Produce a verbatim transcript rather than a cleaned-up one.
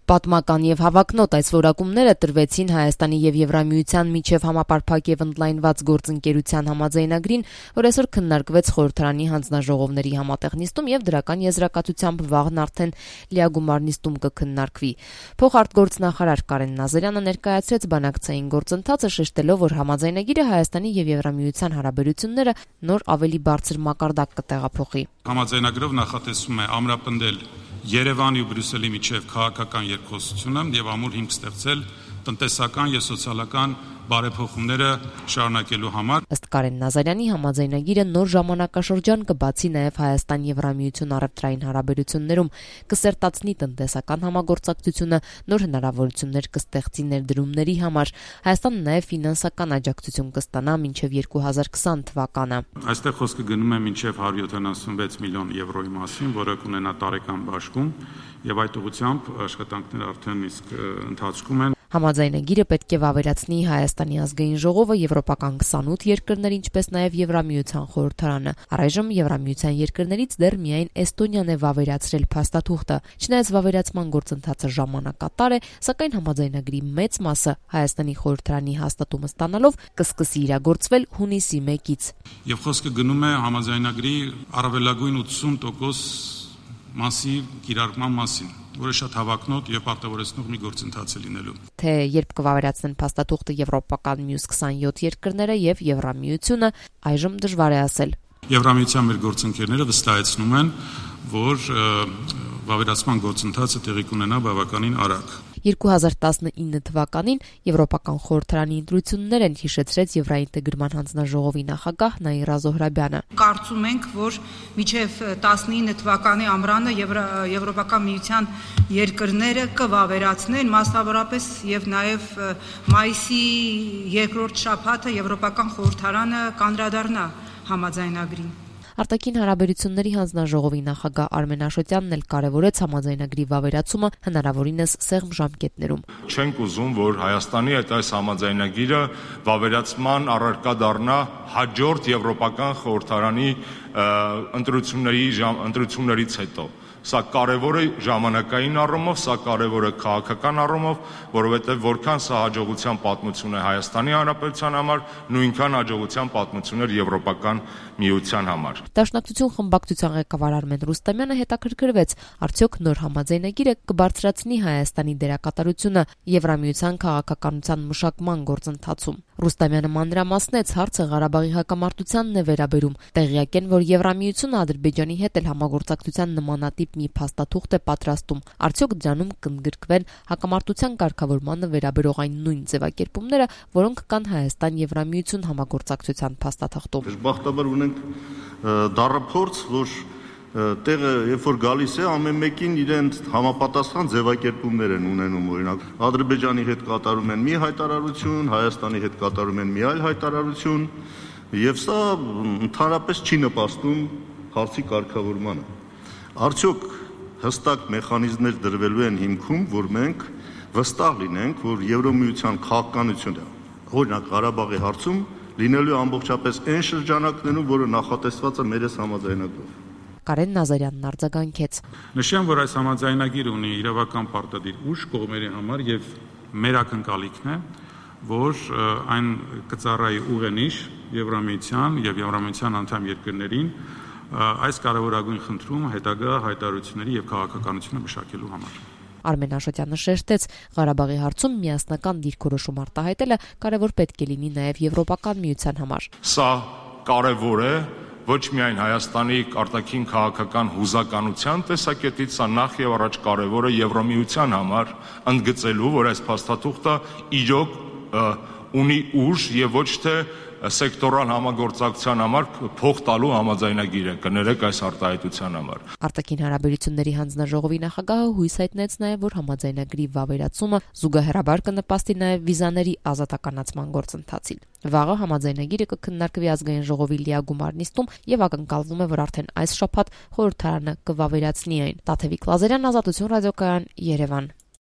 Պատմական եւ հավակնոտ այս որակումները տրվեցին Հայաստանի եւ Եվրամիության միջև համապարփակ եւ ընդլայնված գործընկերության համաձայնագրին, որ այսօր քննարկվեց խորհրդարանի հանձնաժողովների համատեղ նիստում եւ դրական եզրակացությամբ վաղն արդեն լիագումար նիստում կքննարկվի։ Փոխարտգործնախարար Կարեն Նազարյանը ներկայացրեց բանակցային գործընթացը, շեշտելով, որ համաձայնագիրը Հայաստանի եւ Եվրամիության հարաբերությունները նոր ավելի բարձր մակարդակ կտեղափոխի։ Համաձայնագրով նախատեսվում է ամրապնդել Երևանի ու Բրյուսելի միջև քաղաքական երկխոսությունը եւ ամուր հիմք ստեղծել տնտեսական եւ սոցիալական բարեփոխումները շարունակելու համար։ Ըստ Կարեն Նազարյանի համաձայնագիրը նոր ժամանակաշրջան կբացի նաեւ Հայաստան-Եվրամիություն առևտրային հարաբերություններում, կսերտացնի տնտեսական համագործակցությունը, նոր հնարավորություններ կստեղծի ներդրումների համար։ Հայաստանը նաեւ ֆինանսական աջակցություն կստանա մինչեւ երկու հազար քսան թվականը։ Այստեղ խոսքը գնում է մինչեւ հարյուր յոթանասունվեց միլիոն եվրոյի մասին, որը կունենա տարեկան բաշխում, եւ այդ ուղղությամբ աշխատանքները արդեն իսկ ընթացքում են։ Համաձայնագիրը պետք է վավերացնի Հայաստանի ազգային ժողովը, եվրոպական քսանութ երկրներ, ինչպես նաև Եվրամիության խորհրդարանը։ Առայժմ Եվրամիության երկրներից դեռ միայն Էստոնիան է վավերացրել փաստաթուղթը։ Չնայած վավերացման գործընթացը ժամանակատար է, սակայն համաձայնագրի մեծ մասը Հայաստանի խորհրդարանի հաստատումը ստանալով կսկսի իրագործվել հունիսի մեկից։ Եվ խոսքը գնում է համաձայնագրի առավելագույն ութսուն տոկոս մասի կիրառման մասին, որը շատ հավակնոտ եւ պարտավորեցնող մի գործընթաց է լինելու։ Թե երբ կվավերացնեն փաստաթուղթը եվրոպական մյուս քսանյոթ երկրները եւ Եվրամիությունը, այժմ դժվար է ասել։ Եվրամիության մեր գործընկերները վստահեցնում են, որ վավերացման գործընթացը տեղի կունենա բավականին արագ։ երկու հազար տասնինը թվականին Եվրոպական խորհրդարանի ընտրություններ են, հիշեցրեց Եվրաինտեգրման հանձնաժողովի նախագահ Նաիրա Զոհրաբյանը։ Կարծում ենք, որ մինչև տասնինը թվականի ամռանը Եվրոպական միության երկրները կվավերացնեն, մասնավորապես եւ նաեւ մայիսի երկրորդ շաբաթը Եվրոպական խորհրդարանը կանդրադառնա համաձայնագրին։ Արտաքին հարաբերությունների հանձնաժողովի նախագահ Արմեն Աշոտյանն էլ կարևորեց համաձայնագրի վավերացումը հնարավորինս սեղմ ժամկետներում։ Չենք ուզում, որ Հայաստանի այդ այս համաձայնագիրը վավերացման առարկա դառնա հաջորդ Եվրոպական խորհրդարանի ընտրությունների ընտրություններից հետո։ Սա կարևոր է ժամանակային առումով, սա կարևոր է քաղաքական առումով, որովհետև որքան սա հաջողության պատմություն է Հայաստանի Հանրապետության համար, նույնքան հաջողության պատմություն էր Եվրոպական միության համար։ Դաշնակցություն խմբակցության ղեկավար Արմեն Ռուստամյանը հետաքրքրվեց, արդյոք նոր համաձայնագիրը կբարձրացնի Հայաստանի դերակատարությունը Եվրամիության քաղաքականության մշակման գործընթացում։ Ռուստամյանը մանրամասնեց, հարցը Ղարաբաղի հակամարտությանն է վերաբերում։ Տեղյակ են, որ Եվրամիությունը Ադրբեջանի հետ էլ համագործակցության նմանատիպ մի փաստաթուղթ է պատրաստում։ Արդյոք դրանում կընդգրկվեն հակամարտության կարգավորմանը վերաբերող այն նույն ձևակերպումները, որոնք կան Հայաստան-Եվրամիություն համագործակցության փաստաթղթում։ Բախտաբար ունենք դառափորձ, որ տեղը երբ որ գալիս է, ամեն մեկին իրենց համապատասխան ձևակերպումներ են ունենում, օրինակ Ադրբեջանի հետ կատարում են մի հայտարարություն, Հայաստանի հետ կատարում են մի այլ հայտարարություն, եւ սա ընդհանրապես չի նպաստում հարցի կարգավորմանը։ Արդյոք հստակ մեխանիզմներ դրվելու են հիմքում, որ մենք վստահ լինենք, որ Եվրամիության քաղաքականությունը, օրինակ Ղարաբաղի հարցում, լինելու ամբողջապես այն շրջանակներում, որը նախատեսված է մեր համաձայնագրով։ Կարեն Նազարյանն արձագանքեց։ Նշեմ, որ այս համաձայնագիրը ունի իրավական պարտադիր ուժ կողմերի համար եւ մեր ակնկալիքն է, որ այն կծառայի ուղենիշ Եվրամիության եւ Եվրամիության անդամ երկրներին այս կարևորագույն խնդրում հետագա հայտարարությունների եւ քաղաքականությունը մշակելու համար։ Արմեն Աշոտյանը շեշտեց, Ղարաբաղի հարցում միասնական դիրքորոշում արտահայտելը կարևոր պետք է լինի նաեւ Եվրոպական միության համար։ Սա կարևոր է ոչ միայն Հայաստանի արտաքին քաղաքական հուզականության տեսակետից, սա նախ եւ առաջ կարևոր է Եվրամիության համար, ընդգծելու, որ այս փաստաթուղթը իրոք ունի ուժ եւ ոչ թե սեկտորալ համագործակցության համար փող տալու համաձայնագիր է, կներեք այս արտահայտության համար։ Արտաքին հարաբերությունների հանձնաժողովի նախագահը հույս հայտնեց նաև, որ համաձայնագրի վավերացումը զուգահեռաբար կնպաստի նաև վիզաների ազատականացման գործընթացին։ Վաղը համաձայնագիրը կքննարկվի ազգային ժողովի լիագումար նիստում եւ ակնկալվում է, որ արդեն այս շաբաթ խորհրդարանը կվավերացնի այն։ Տաթևիկ Լազարյան, Ազատություն ռադիոկայան, Երևան։